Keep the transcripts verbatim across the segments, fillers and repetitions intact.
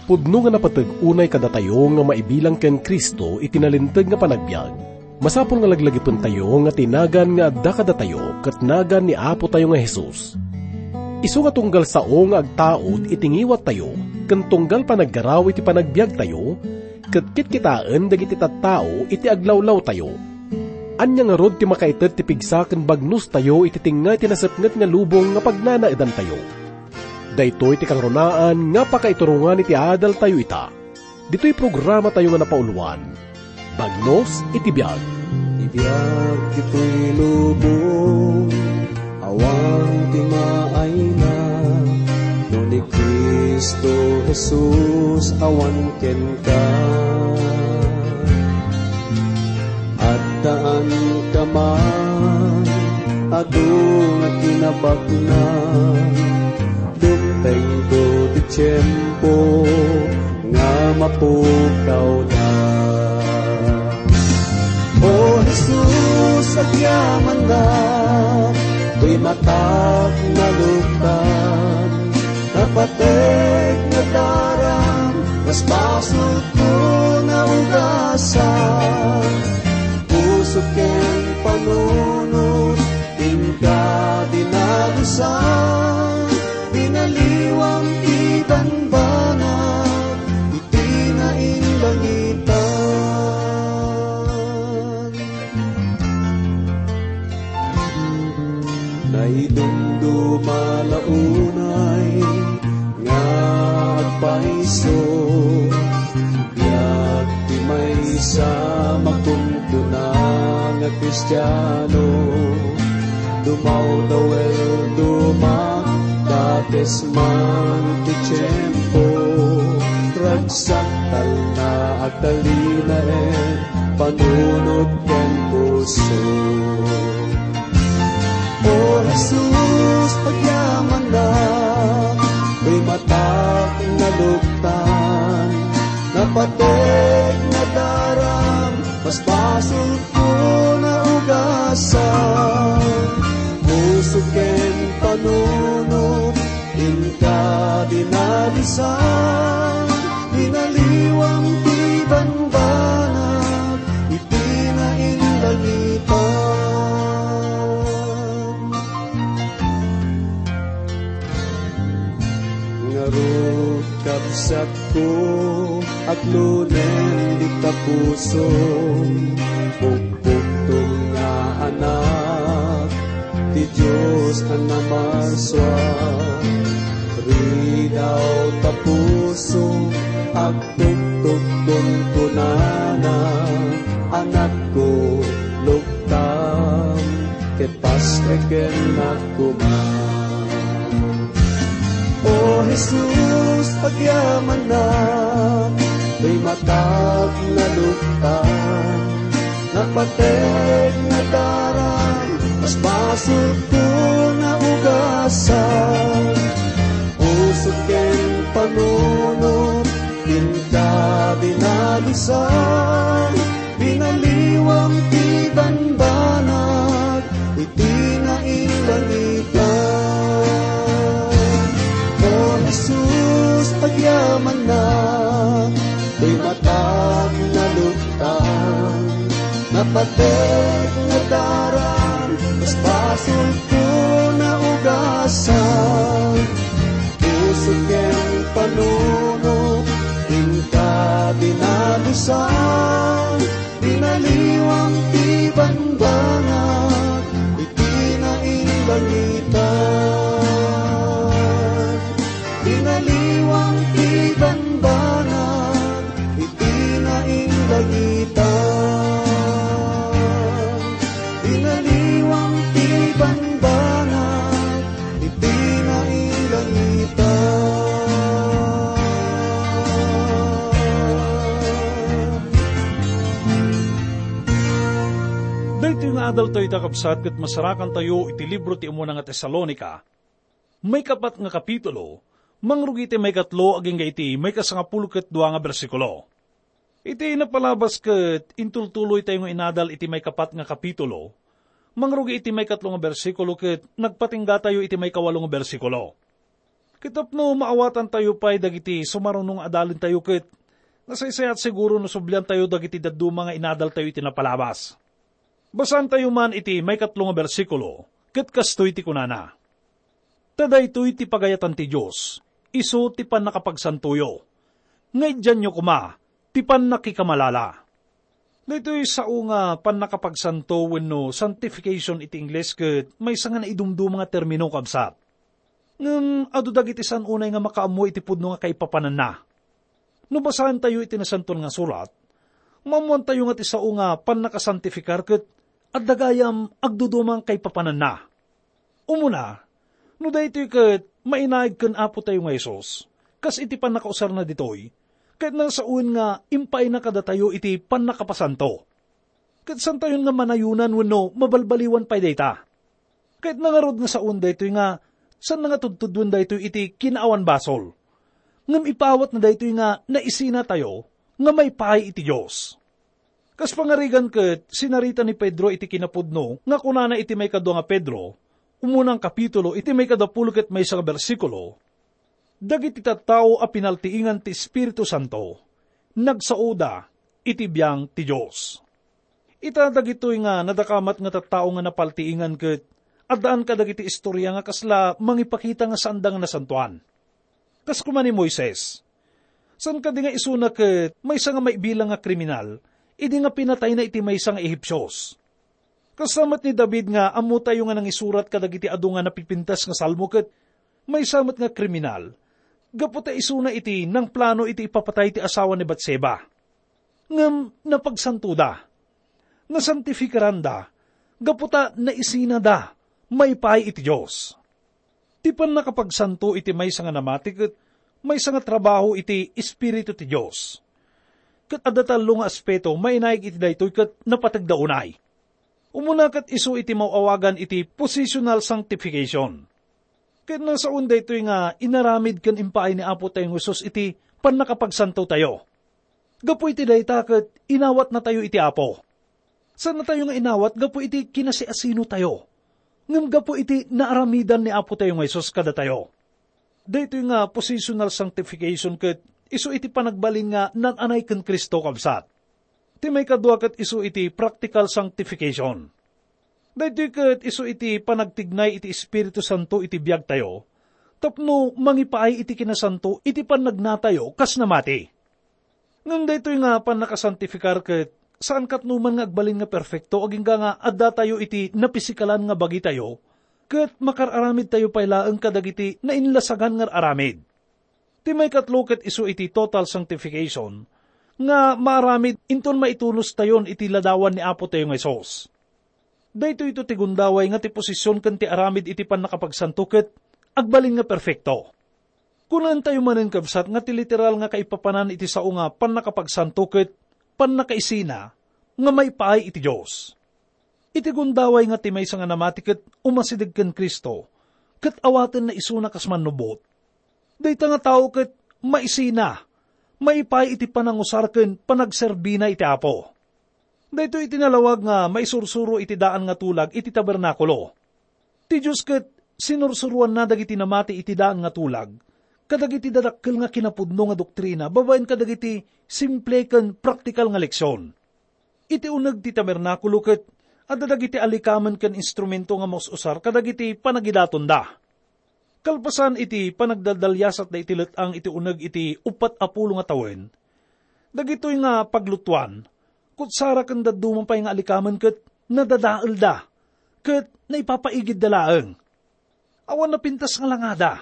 Pudno nga napateg unay kadatayo nga maibilang ken Cristo iti nalinteg nga panagbiag. Masapul nga laglagipentayo nga ti nagan nga adda kadatayo ket nagan ni Apotayo nga Jesus. Isu nga tunggal sao nga agtaud iti ngiwattayo ken tunggal panaggaraw iti panagbiagtayo, ket kitkitaen dagiti tattao iti aglawlawtayo. Ania ngarud ti makaited ti pigsa ken bagnostayo iti tengnga ti nasepnget nga lubong nga pagnanaedantayo? Daytoy ti kangrunaan nga pakaiturongan iti adaltayo ita. Ditoy programatayo nga napauloan, Bagnos iti Biag. Ibiag ditoy lubong, awan ti maayna, no ni Cristo Jesus awan kenka. Addaan ka man, adu nga kinabaknang, dumtengto ti tiempo nga mapukawda. O Jesus, agyamanak, toy matak naluktan, napateg nga daram, basbasolko naugasan. Puso ken panunot, inka dinalusan, binaliwam ti banbanag, iti nainlangitan. Naidumduma la unay nga agpaiso, biag ti maysa makunkuna nga Kristiano. Dumawdaw el dumakdates man ti tiempo, ragsak talna agtalinaen panunot ken puso. O Jesus, agyamanak, toy matak naluktan, napateg nga daram, basbasolko naugasan. Puso ken panunot, inka dinalusan, binaliwam ti banbanag, iti nainlangitan. Ngarud, kabsatko, aglunen dita puso, pukpukto nga anak ti Dios a namarsua. Ridaw ta puso, agtuktok kunkunana, anakko, luktam, ket pastreken koma. O Jesus, agyamanak, toy matak naluktan, napateg nga daram, basbasolko naugasan. Puso ken panunot, inka dinalusan, binaliwam ti banbanag, iti nainlangitan. O Jesus, agyamanak, toy matak naluktan, napateg nga daram, basbasolko naugasan. Puso ken panunot, inka dinalusan, binaliwam ti banbanag, iti nainlangitan. Binaliwam ti banbanag, iti nainlangitan. Binaliwam ti banbanag, iti nainlangitan. Daytoy nga adaltayo ita, kabsat, ket masarakantayo iti libro ti umuna nga Tesalonica, maikapat nga kapitulo, mangrugi iti maikatlo agingga iti maikasangapulo ket dua nga bersikulo. Iti napalabas ket intultuloytayo nga inadal iti maikapat nga kapitulo, mangrugi iti maikatlo nga bersikulo ket nagpatinggatayo iti maikawalo nga bersikulo. Ket tapno maawatantayo pay dagiti sumaruno nga adalentayo ket nasaysayat siguro no subliantayo dagiti dadduma nga inadaltayo iti napalabas. Basaantayo man iti maikatlo nga bersikulo, ket kastoy ti kunana, "Ta daytoy ti pagayatan ti Dios, isu ti pannakapagsantoyo. Nga idianyo koma ti pannakikamalala." Daytoy sao nga pannakapagsanto wenno sanctification iti Ingles ket maysa nga naidumduma nga termino, kabsat. Ngem adu dagiti saan unay nga makaammo iti pudno nga kaipapananna. No basaentayo iti Nasantoan nga Surat, maammoantayo nga ti sao nga pannakasantifikar ket adda gayam agduduma nga kaipapananna. Umuna, no daytoy ket mainaig ken Apotayo nga Jesus, kas iti pannakausarna ditoy, ket nasawen nga impaayna kadatayo iti pannakapasanto. Ket saantayon nga manayonan wenno mabalbaliwan pay dayta. Ket nangarud nga sawen daytoy nga saan nga tudtudwen daytoy iti kinaawan basol. Ngem ipaawatna daytoy nga naisinatayo nga maipaay iti Dios. Kas pangarigan ket sinarita ni Pedro iti kinapudno nga kunana iti maikadua nga Pedro, umuna nga kapitulo, iti maikadapulo ket maysa nga bersikulo, "Dagiti tattao a pinaltiingan ti Espiritu Santo, nagsaoda iti biang ti Dios." Ita dagitoy nga nadakamat nga tattao nga napaltiingan ket addaan kadagiti istorya nga kasla mangipakita nga saanda nga nasantoan. Kas koma ni Moises, saan kadi nga isuna ket maysa nga maibilang nga kriminal idi nga pinatayna iti maysa nga Ehipsios. Kasta met ni David nga ammotayo nga nangisurat kadagiti adu nga napipintas nga salmo ket maysa met nga kriminal, gapu ta isuna iti nangplano iti ipapatay ti asawa ni Batseba. Ngem napagsantoda, nasantifikaranda, gapu ta naisinada maipaay iti Dios. Ti pannakapagsanto iti maysa nga namati ket maysa nga trabaho iti Espiritu ti Dios. Ket adda tallo nga aspeto mainaig iti daytoy ket napategda unay. Umuna ket isu iti maawagan iti positional sanctification. Ket nasaon daytoy nga inaramid ken impaay ni Apo tayo nga Jesus iti pannakapagsantotayo. Gapu iti dayta ket inawatnatayo iti Apo. Saannatayo nga inawat gapu iti kinasiasinotayo, ngem gapu iti naaramidan ni Apo tayo nga Jesus kadatayo. Daytoy nga positional sanctification ket isu iti panagbalin nga naan-anay ken Cristo, kabsat. Ti maikadua ket isu iti practical sanctification. Daytoy ket isu iti panagtignay iti Espiritu Santo iti biagtayo tapno mangipaay iti kinasanto iti pannagnatayo kas namati. Ngem daytoy nga pannakasantifikar ket saan katnoman nga agbalin nga perfekto agingga nga addatayo iti napisikalan nga bagitayo ket makar-aramidtayo pay laeng kadagiti nainlasagan nga aramid. Ti maikatlo ket isu iti total sanctification nga maaramid inton maitunostayon iti ladawan ni Apo tayo nga Jesus. Daytoyto ti gundaway nga ti posisyon ken ti aramid iti pannakapagsanto ket agbalin nga perfekto. Kunaentayo manen, kabsat, nga ti literal nga kaipapanan iti sao nga pannakapagsanto ket pannakaisina nga maipaay iti Dios. Iti gundaway nga ti maysa nga namati ket umasideg ken Cristo, ket awatenna isuna kas mannubot. Dayta nga tao ket maisina, maipaay iti panangusar ken panagserbina iti Apo. Daytoy iti nalawag nga maisursuro iti daan nga tulag iti tabernakulo. Ti Dios ket sinursuroanna dagiti namati iti daan nga tulag kadagiti dadakkel nga kinapudno nga doktrina babaen kadagiti simple ken praktikal nga leksion. Iti uneg ti tabernakulo ket adda dagiti alikamen ken instrumento nga maus-usar kadagiti panagidatonda. Kalpasan iti panagdaldaliasatda iti let-ang iti uneg iti uppat a pulo nga tawen, dagitoy nga paglutoan, kutsara ken dadduma pay nga alikamen ket nadadaelda ket naipapaigidda laeng. Awan napintas nga langada.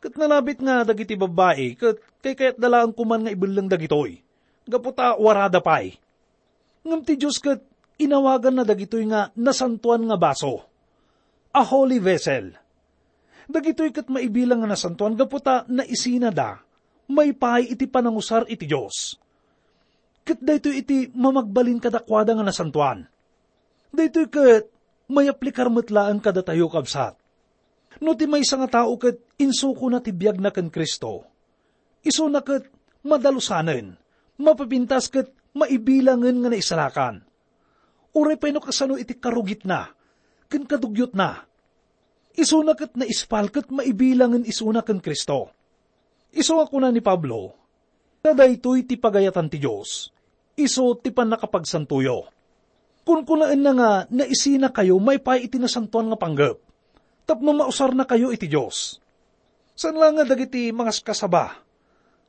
Ket nalabit nga dagiti babbai ket kaykayatda laeng koman nga ibelleng dagitoy, gapu ta warada pay. Ngem ti Dios ket inawaganna dagitoy nga nasantoan nga baso, a holy vessel. Dagitoy ket maibilang nga nasantoan gapu ta naisinada maipaay iti panangusar iti Dios. Ket daytoy iti mamagbalin kadakuada nga nasantoan. Daytoy ket mayaplikar met laeng kadatayo, kabsat. No ti maysa nga tao ket insukona ti biagna ken Cristo, isuna ket madalusanen, mapipintas ket maibilangen nga naisalakan. Uray pay no kasano iti karugitna ken kadugyotna. Isuna ket naispal ket maibilangen isuna ken Cristo. Isu nga kuna ni Pablo, "Ta daytoy ti pagayatan ti Dios, isu ti pannakapagsantoyo." Kunkunaenna nga naisinakayo maipaay iti nasantoan nga panggep, tapno mausarnakayo iti Dios. Saan la nga dagiti mangaskasaba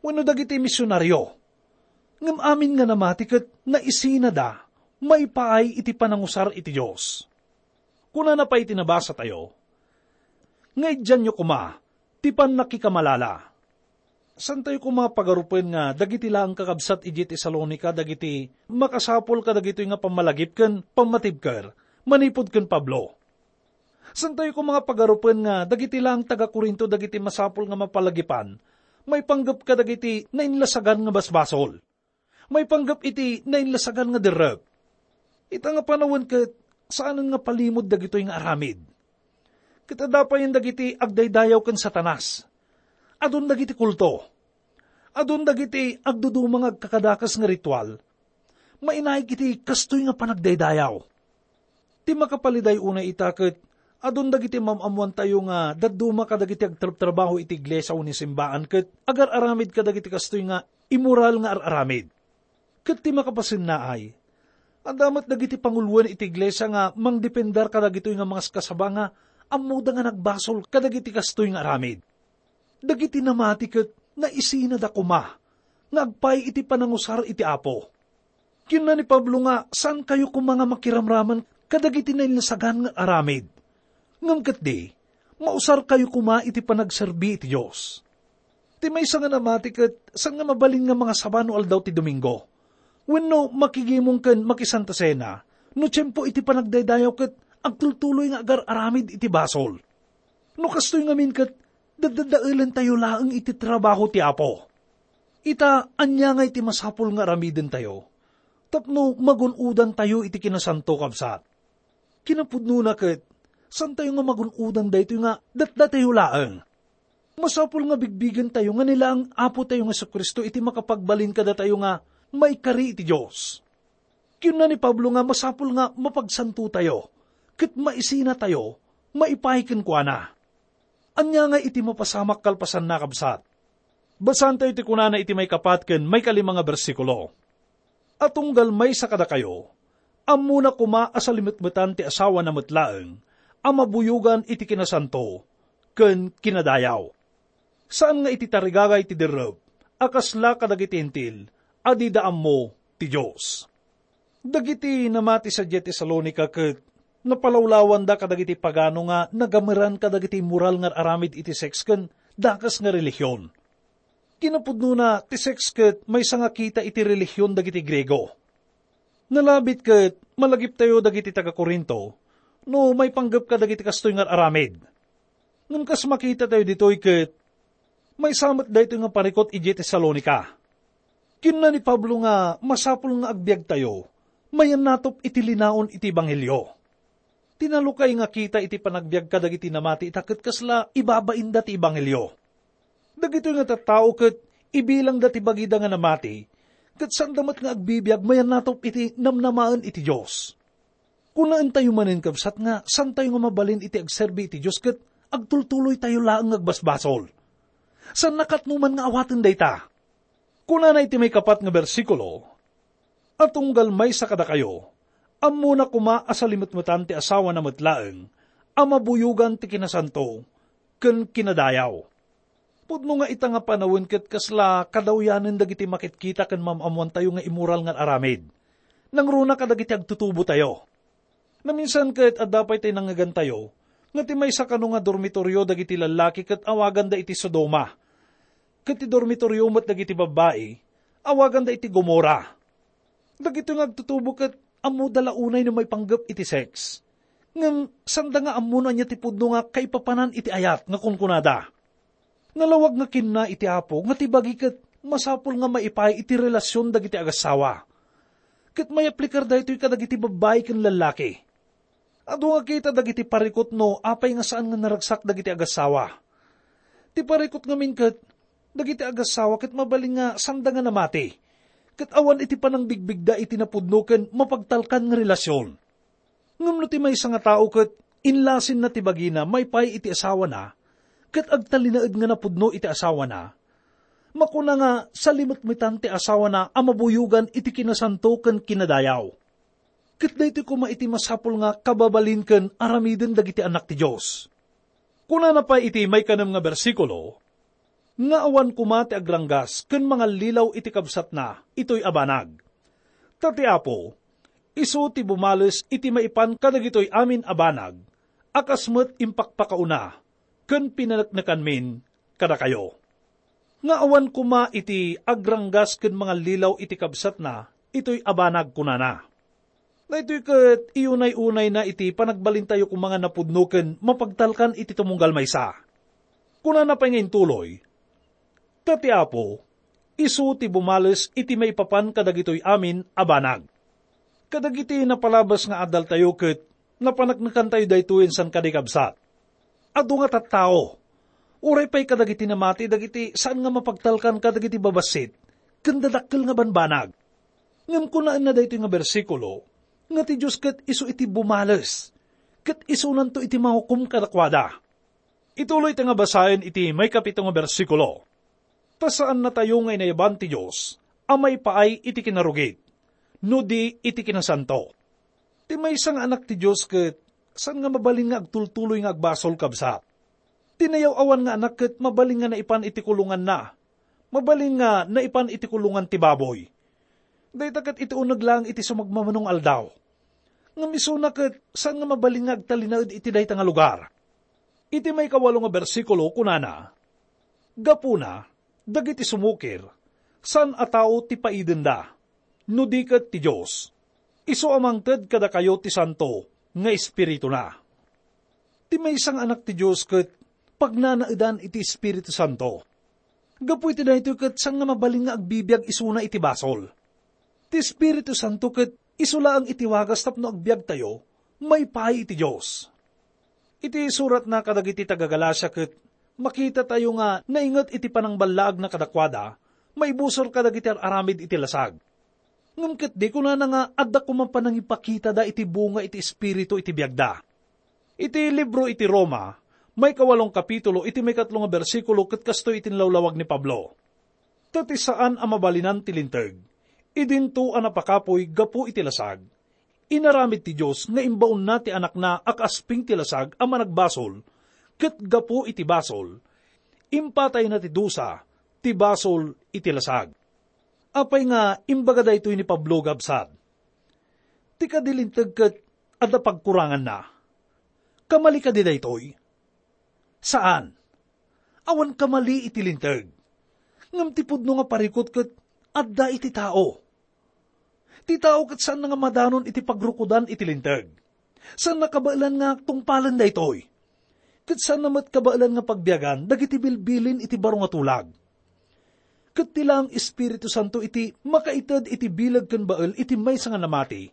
wenno dagiti misionario, ngem amin nga namati ket naisinada maipaay iti panangusar iti Dios. Kunana pay iti nabasatayo, nga idianyo koma ti pannakikamalala. Saantayo koma pagarupen nga dagiti laeng kakabsat idiay Tesalonica dagiti makasapul kadagitoy nga pammalagip ken pammatibker manipud ken Pablo. Saantayo koma nga pagarupen nga dagiti laeng taga-Corinto dagiti masapul nga mapalagipan maipanggep kadagiti nainlasagan nga basbasol. Maipanggep iti nainlasagan nga derrep. Ita nga panawen ket saanen nga palimod dagitoy nga aramid. Ket adda payen dagiti agdaydayaw ken Satanas. Adun dagiti kulto. Adun dagiti agduduma nga agkakadakes nga ritual. Mainaig iti kastoy nga panagdaydayaw. Ti makapaliday unay ita ket adun dagiti mam-ammoantayo nga dadduma kadagiti agtrabtrabaho iti iglesia wenno simbaan ket agar-aramid kadagiti kastoy nga immoral nga ar-aramid. Ket ti makapasennaay, adda met dagiti panguloen iti iglesia nga mangdepender kadagitoy nga mangaskasaba nga ammoda nga nagbasol kadagiti kastoy nga aramid. Dagiti namati ket naisinada koma nga agpaay iti panangusar iti Apo. Kinuna ni Pablo nga saankayo koma nga makiramraman kadagiti nainlasagan nga aramid. Ngem ketdi, mausarkayo koma iti panagserbi iti Dios. Ti maysa nga namati ket saan nga mabalin nga mangasaba no aldaw ti Domingo, wenno makigimong ken makisanta sena no tiempo iti panagdaydayaw ket agtultuloy nga agar-aramid iti basol. No kastoy ngamin ket, daddadaelentayo laeng iti trabaho ti Apo. Ita, ania nga iti masapul nga aramidentayo tapno magun-odantayo iti kinasanto, kabsat? Kinapudnona ket, saantayo nga magun-odan daytoy nga datdatayo laeng. Masapul nga bigbigentayo nga ni laeng Apotayo nga Jesu-Cristo iti makapagbalin kadatayo nga maikari iti Dios. Kinuna ni Pablo nga masapul nga mapagsantotayo ket maisinatayo maipaay kenkuana. Ania nga iti mapasamak kalpasanna, kabsat? Basaentayo ti kunana iti maikapat ken maikalima nga bersikulo, "A tunggal maysa kadakayo, ammona koma a salimetmetan ti asawana met laeng a mabuyogan iti kinasanto ken kinadayaw." Saan nga iti tarigagay ti derrep a kasla kadagiti Hentil a dida ammo ti Dios. Dagiti namati sadiay Tesalonica ket napalawlawanda kadagiti pagano nga nagameran kadagiti immoral nga aramid iti seks ken dakes nga relihion. Kinapudnona, ti seks ket maysa nga kita iti relihion dagiti Griego. Nalabit ket malagiptayo dagiti taga-Corinto no maipanggep kadagiti kastoy nga aramid. Ngem kas makitatayo ditoy ket maysa met daytoy nga parikut idiay Tesalonica. Kinuna ni Pablo nga masapul nga agbiagtayo mayannatop iti linaon iti ebanghelio. Tinalukay nga kita iti panagbiag kadagiti namati ita ket kasla ibabainda ti ebanghelio. Dagitoy nga tattao ket ibilangda ti bagida nga namati, ket saanda met nga agbibiag mayannatop iti namnamaen iti Dios. Kunaentayo manen, kabsat, nga saantayo nga mabalin iti agserbi iti Dios ket agtultuloytayo laeng nga agbasbasol. Saanna ket no man nga awaten dayta. Kunana iti maikapat nga bersikulo, "A tunggal maysa kadakayo, ammona koma a salimetmetan ti asawana met laeng a mabuyogan ti kinasanto ken kinadayaw." Pudno nga ita nga panawen ket kasla kadawyanen dagiti makitkita ken mam-ammoantayo nga immoral nga aramid. Nangruna kadagiti agtutubotayo. Naminsan ket adda pay ti nangngegantayo nga ti maysa kano nga dormitorio dagiti lallaki ket awaganda iti Sodoma, ket ti dormitorio met dagiti babbai awaganda iti Gomora. Dagitoy nga agtutubo ket ammoda la unay no maipanggep iti seks. Ngem sanda nga ammo no ania ti pudno nga kaipapanan iti ayat nga kunkunada. Nalawag nga kinuna iti Apo nga ti bagi ket masapul nga maipaay iti relasion dagiti agassawa. Ket mayaplikar daytoy kadagiti babbai ken lallaki. Adu nga kita dagiti parikut no apay nga saan nga naragsak dagiti agassawa. Ti parikut ngamin ket, dagiti agassawa ket mabalin nga sanda nga namati, ket awan iti panangbigbigda iti napudno ken mapagtalkan nga relasion. Ngem no ti maysa nga tao ket inlasinna ti bagina maipaay iti asawana, ket agtalinaed nga napudno iti asawana, makuna nga salimetmetan ti asawana a mabuyogan iti kinasanto ken kinadayaw. Ket daytoy koma iti masapul nga kababalin ken aramiden dagiti annak ti Dios. Kunana pay iti maikanem nga bersikulo, nga awan koma ti agranggas ken mangallilaw iti kabsatna itoy a banag. Ta ti Apo, isu ti bumales iti maipan kadagitoy amin a banag, a kas met impakpakauna ken pinaneknekanmin kadakayo. Nga awan koma iti agranggas ken mangallilaw iti kabsatna itoy a banag, kunana. Daytoy ket iyunay-unayna iti panagbalintayo koma nga napudno ken mapagtalkan iti tumunggal maysa. Kunana pay nga intuloy, "Ta ti Apo, isu ti bumales iti maipapan kadagitoy amin a banag." Kadagiti napalabas nga adaltayo ket napaneknekantayo daytoy, insan kadi, kabsat. Adu nga tattao, uray pay kadagiti namati dagiti saan nga mapagtalkan kadagiti babassit ken dadakkel nga banbanag. Ngem kunaenna daytoy nga bersikulo, nga ti Dios ket isu iti bumales, ket isunanto iti mahukom kadakuada. Ituloy ta nga basaen iti maikapito nga bersikulo. Ta saannatayo nga inayaban ti Dios a maipaay iti kinarugit, no di iti kinasanto. Ti maysa nga anak ti Dios ket saan nga mabalin nga agtultuloy nga agbasol, kabsat. Ti nayaw-awan nga anak ket mabalin nga naipan iti kulonganna. Mabalin nga naipan iti kulongan ti baboy. Dayta ket iti uneg laeng iti sumagmamano nga aldaw. Ngem isuna ket saan nga mabalin nga agtalinaed iti dayta nga lugar. Iti maikawalo nga bersikulo, kunana, "Gapuna, dagiti sumukir, saan a tao ti paidenda, no di ket ti Dios. Isu a mangted kadakayo ti Santo nga Espirituna." Ti maysa nga anak ti Dios ket pagnanaedan iti Espiritu Santo. Gapu iti daytoy ket saan nga mabalin nga agbibiag isuna iti basol. Ti Espiritu Santo ket isu laeng iti wagas tapno agbiagtayo maipaay iti Dios. Iti suratna kadagiti taga-Galacia ket makitatayo nga nainget iti panangballaagna kadakuada maibusor kadagiti ar-aramid iti lasag. Ngem ketdi, kunana nga adda koma panangipakitada iti bunga iti Espiritu iti biagda. Iti libro iti Roma, maikawalong kapitulo, iti maikatlo nga bersikulo, ket kastoy iti inlawlawag ni Pablo, "Ta ti saan a mabalinan ti linteg, idinto a napakapuy gapu iti lasag, inaramid ti Dios nga imbaonna ti Anakna a kaasping ti lasag a managbasol, ket gapu iti basol, impatayna ti dusa ti basol iti lasag." Apay nga imbaga daytoy ni Pablo, kabsat? Ti kadi linteg ket adda pagkuranganna. Kamali kadi daytoy? Saan. Awan kamali iti linteg. Ngem ti pudno nga parikut ket adda iti tao. Ti tao ket saanna nga madanon iti pagrukodan iti linteg. Saanna kabaelan nga tungpalen daytoy. Ket saanna met kabaelan nga pagbiagan dagiti bilbilin iti baro nga tulag. Ket ti laeng Espiritu Santo iti makaited iti bileg ken bael iti maysa nga namati,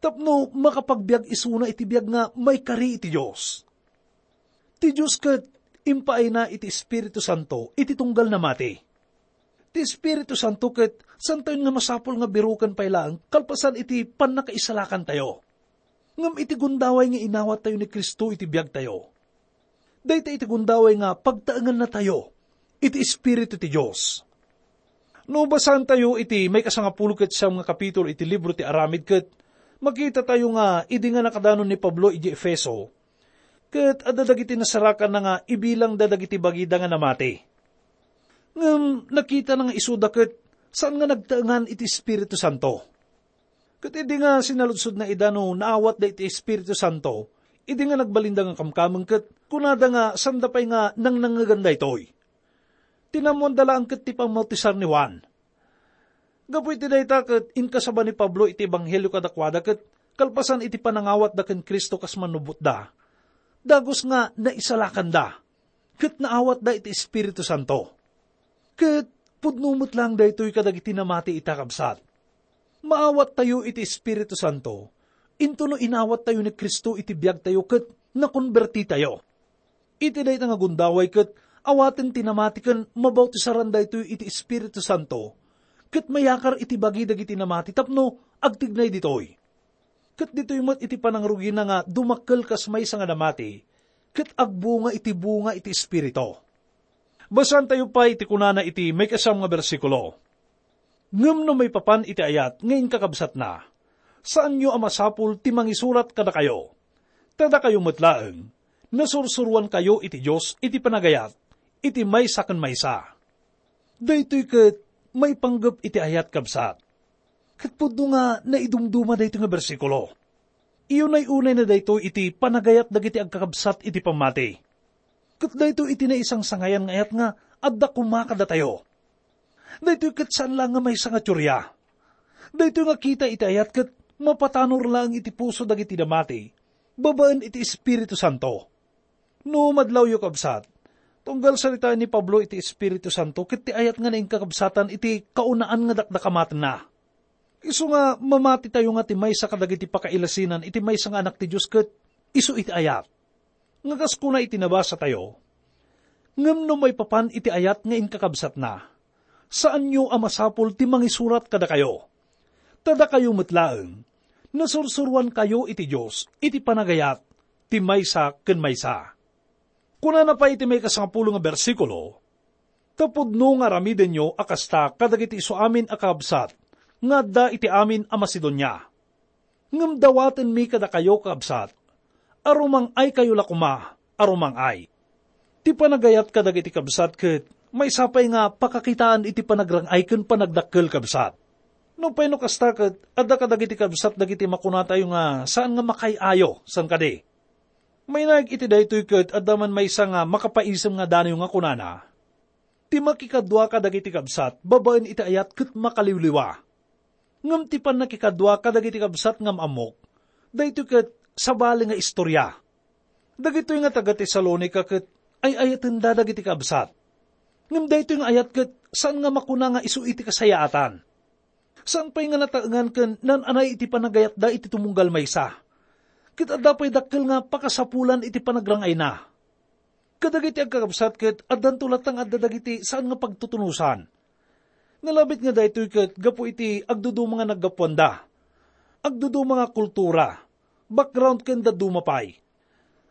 tapno makapagbiag isuna iti biag nga maikari iti Dios. Ti Dios ket impaayna iti Espiritu Santo iti tunggal namati. Ti Espiritu Santo ket santayon nga masapul nga biroken pay laeng kalpasan iti pannakaisalakantayo. Ngem iti gundaway nga inawattayo ni Cristo iti biagtayo, dayta iti gundaway nga pagtaengannatayo iti Espiritu ti Dios. No basaentayo iti maikasangapulo ket siam nga kapitulo iti libro ti Aramid, ket makitatayo nga idi nga nakadanon ni Pablo iti Efeso, ket adda dagiti nasarakanna nga ibilangda dagiti bagida nga namati. Ngem nakitana nga isuda ket saan nga nagtaengan iti Espiritu Santo. Ket idi nga sinaludsodna ida no naawatda iti Espiritu Santo, idi nga nagbalinda nga kamkameng, ket kunada nga sanda pay nga nangnangngegan daytoy. Tinammoanda laeng ket ti pammautisar ni Juan. Gapu iti dayta ket inkasaba ni Pablo iti ebanghelio kadakuada, ket kalpasan iti panangawatda ken Cristo kas mannubotda, dagus nga naisalakanda ket naawatda iti Espiritu Santo. Ket pudno met laeng daytoy kadagiti namati ita, kabsat. Maawattayo iti Espiritu Santo, intono inawattayo ni Cristo iti biagtayo ket nakonbertitayo. Iti dayta nga gundaway ket awaten ti namati ken mabautisaranda daytoy iti Espiritu Santo, ket mayakar iti bagi dagiti namati tapno agtignay ditoy. ket ditoy met iti panangrugina nga dumakkel kas maysa nga namati, ket agbunga iti bunga iti Espiritu. Basaentayo pay ti kunana iti maikasiam nga bersikulo, "Ngem no maipapan iti ayat nga inkakabsatna, saanyo a masapul ti mangisurat kadakayo. Ta dakayo met laeng, nasursuroankayo iti Dios iti panagayat, iti maysa ken maysa." Daytoy ket maipanggep iti ayat, kabsat. Ket pudno nga naidumduma daytoy nga bersikulo. Iunay-unayna daytoy iti panagayat dagiti agkakabsat iti pammati. Ket daytoy iti naisangsangayan nga ayat nga adda koma kadatayo. Daytoy ket saan laeng nga maysa nga teoria. Daytoy nga kita iti ayat ket mapatanor laeng iti puso dagiti namati babaen iti Espiritu Santo. No madlawyo, kabsat, tunggal saritaen ni Pablo iti Espiritu Santo ket ti ayat nga nainkakabsatan iti kaunaan nga dakdakamatenna. Isu nga mamatitayo nga ti maysa kadagiti pakailasinan iti maysa nga anak ti Dios ket isu iti ayat. Nga kas kuna iti nabasatayo, "Ngem no maipapan iti ayat nga inkakabsatna, saanyo a masapul ti mangisurat kadakayo. Ta dakayo met laeng, nasursuroankayo iti Dios iti panagayat ti maysa ken maysa." Kunana pay iti maikasangapulo nga bersikulo, "Ta pudno nga aramidenyo a kasta kadagiti isu amin a kakabsat nga adda iti amin a Macedonia. Ngem dawatenmi kadakayo, kakabsat, a rumang-aykayo la koma a rumang-ay." Ti panagayat kadagiti kabsat ket maysa pay nga pakakitaan iti panagrang-ay ken panagdakkel, kabsat. Nupay no kasta ket adda kadagiti kabsat dagiti makunatayo nga saan nga makaay-ayo, saan kadi? Mainaig iti daytoy ket adda man maysa nga makapaisem nga danayo nga kunana, "Ti makikadua kadagiti kabsat babaen iti ayat ket makaliwliwa. Ngem ti pannakikadua kadagiti kabsat nga am-ammok, daytoy ket sabali nga istorya." Dagitoy nga taga-Tesalonica ket ay-ayatenda dagiti kabsat. Ngem daytoy nga ayat ket saan nga makuna nga isu iti kasayaatan. Saan pay nga nataengan ken naan-anay iti panagayatda iti tumunggal maysa. Ket adda pay dakkel nga pakasapulan iti panagrang-ayna. Kadagiti agkakabsat ket addanto latta nga adda dagiti saan nga pagtutunosan. Nalabit nga daytoy ket gapu iti agduduma nga naggapuanda, agduduma nga kultura, background ken dadduma pay.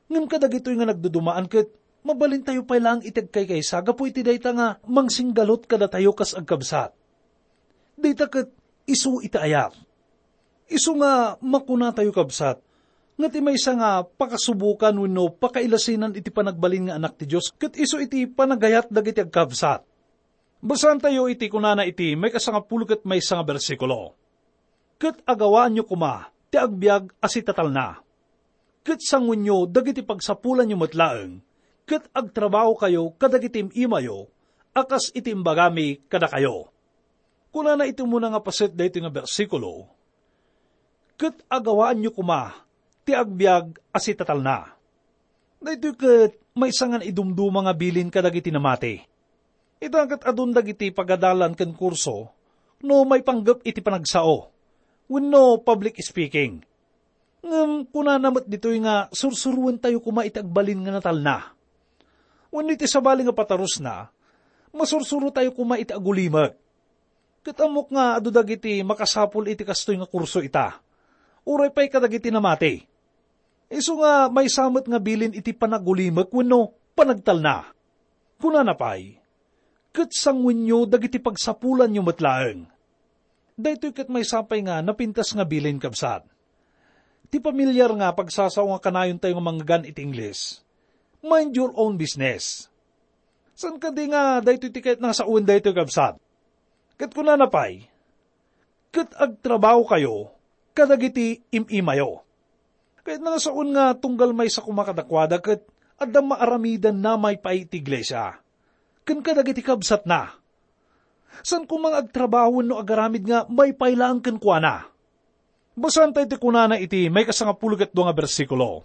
Ngem kadagitoy nga nagdudumaan ket mabalintayo pay laeng iti agkaykaysa gapu iti dayta nga mangsinggalut kadatayo kas agkabsat. Dayta ket isu iti ayat. Isu nga makunatayo, kabsat, nga ti maysa nga pakasubokan wenno pakailasinan iti panagbalin nga anak ti Dios ket isu iti panagayat dagiti agkabsat. Basaentayo iti kunana iti maikasangapulo ket maysa nga bersikulo, "Ket agawaanyo koma ti agbiag a sitatalna. Ket sanguenyo dagiti pagsapulanyo met laeng, ket agtrabahokayo kadagiti im-imayo a kas iti imbagami kadakayo." Kunana iti umuna nga paset daytoy nga bersikulo, "Ket agawaanyo koma ti agbiag a sitatalna." Daytoy ket maysa nga naidumduma nga bilin kadagiti namati. Ita ket adun dagiti pagadalan ken kurso no maipanggep iti panagsao wenno public speaking. Ngem kunana met ditoy nga sursuroentayo koma iti agbalin nga natalna. Wenno iti sabali nga patarusna, masursurotayo koma iti agulimek. Ket ammok nga adu dagiti makasapul iti kastoy nga kurso ita, uray pay kadagiti namati. Isu nga maysa met nga bilin iti panagulimek wenno panagtalna. Kunana pay, "Ket sanguenyo dagiti pagsapulanyo met laeng." Daytoy ket maysa pay nga napintas nga bilin, kabsat. Ti pamilyar nga pagsasao nga kanayontayo nga mangngeggan iti Ingles, "Mind your own business." Saan kadi nga daytoy ti kayatna nga sawen daytoy, kabsat? Ket kunana pay, "Ket agtrabahokayo kadagiti im-imayo." Kayatna nga sawen nga tunggal maysa koma kadakuada ket adda maaramidanna maipaay iti iglesia ken kadagiti kabsatna. Saan koma nga agtrabaho wenno agaramid nga maipaay laeng kenkuana. Basaentayo ti kunana iti maikasangapulo ket dua nga bersikulo,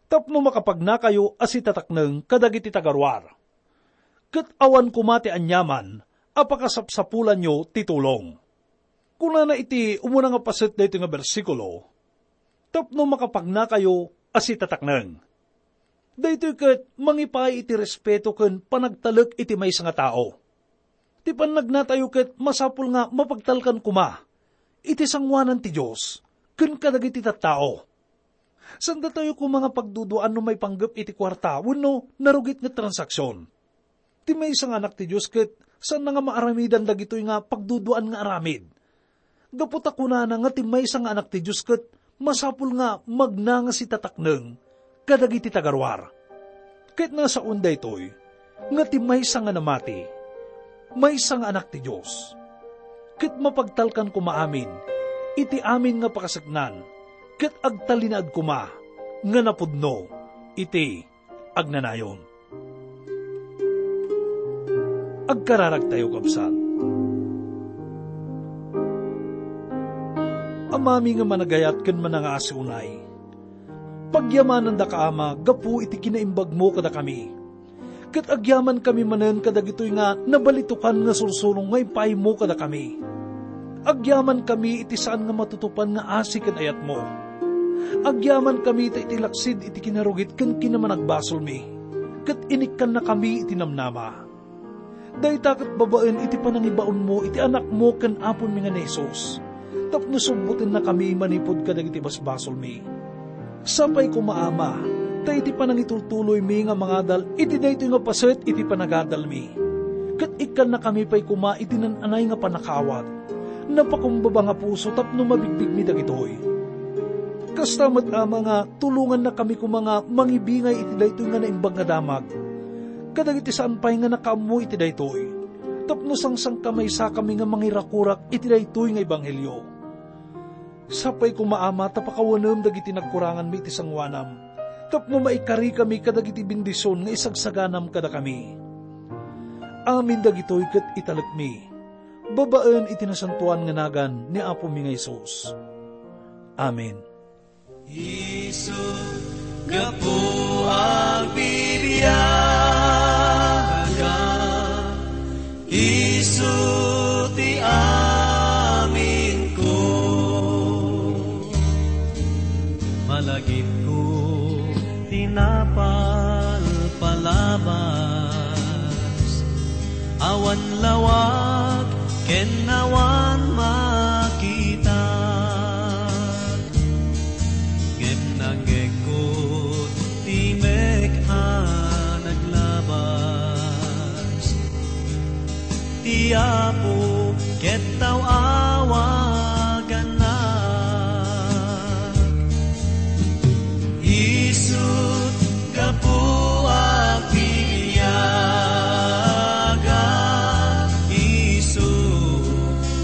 "Tapno makapagnakayo a sitatakneng kadagiti tagaruar, ket awan koma ti aniaman a pakasapsapulanyo ti tulong." Kunana iti umuna nga paset daytoy nga bersikulo, "Tapno makapagnakayo a sitatakneng." Daytoy ket mangipaay iti respeto ken panagtalek iti maysa nga tao. Ti pannagnatayo ket masapul nga mapagtalkan koma iti sangoanan ti Dios ken kadagiti tattao. Saan datayo koma nga pagduduaan no maipanggep iti kuarta wenno narugit nga transaksion. Ti maysa nga anak ti Dios ket saanna nga maaramidan dagitoy nga pagduduaan nga aramid. Gapu ta kunana nga ti maysa nga anak ti Dios ket masapul nga magnangas iti tatakneng kadagiti tagaruar. Ket nasaon daytoy nga ti maysa nga namati, maysa nga anak ti Dios. Ket mapagtalkan koma amin iti amin nga pakaseknan, ket agtalinaed koma nga napudno iti agnanayon. Agkararagtayo, kabsat. Amami nga managayat ken manangaasi unay, pagyamanandaka, Ama, gapu iti kinaimbagmo kadakami. Ket agyamankami manen kadagitoy nga nabalitokan nga sursuro nga ipaaymo kadakami. Agyamankami iti saan nga matutupan nga asi ken ayatmo. Agyamankami ta iti laksid iti kinarugit ken kinamanagbasolmi, ket inikkannakami iti namnama. Dayta ket babaen iti panangibaonmo iti Anakmo ken Apomi nga ni Jesus, tapno subbotennakami manipud kadagiti basbasolmi. Sapay koma, Ama, ta iti panangitultuloymi nga mangadal iti daytoy nga paset iti panagadalmi, ket ikkannakami pay koma iti naan-anay nga pannakaawat, napakumbaba nga puso tapno mabigbigmi dagitoy. Kasta met, Ama, nga tulongannakami koma nga mangibingay iti daytoy nga naimbag nga damag kadagiti saan pay nga nakaammo iti daytoy, tapno sangsangkamaysakami nga mangirakurak iti daytoy nga ebanghelio. Sapay koma, Ama, ta pakawanem dagiti nagkuranganmi iti sangoanam, tapno maikarikami kadagiti bendision nga isagsaganam kadakami. Amin dagitoy ket italekmi babaen iti nasantoan nga nagan ni Apomi nga Jesus. Amen. Isu, gapu agbibiaga, isu ti aminko. Malagipko ti napalpalabas, awan lawag ken awan makita. Ngem nangngegko ti mek a naglabas. Ti Apo ket tao-awagannak. Isu gapu agbibiaga, isu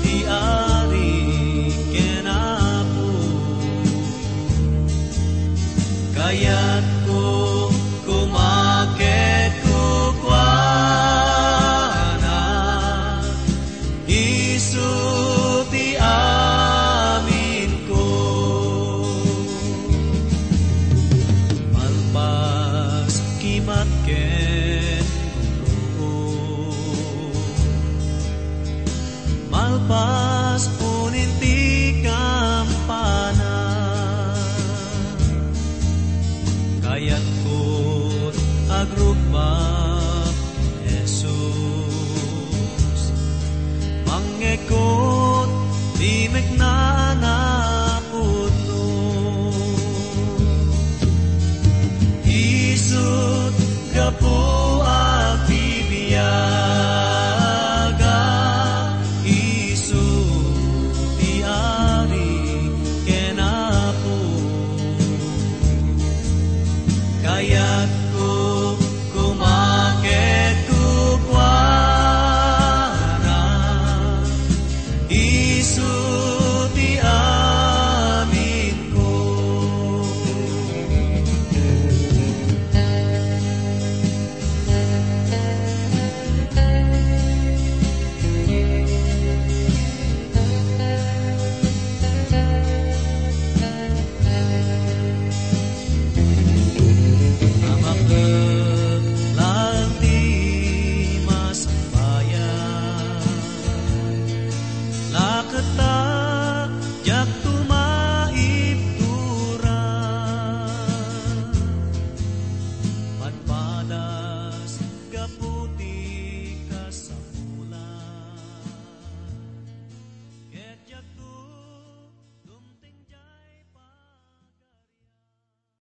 ti Ari ken Apo. Kayatko koma ket kukuana, isu ti aminko. Malpas kimat ken gumruod. Malpas unin ti kampana. Kayatko agrukma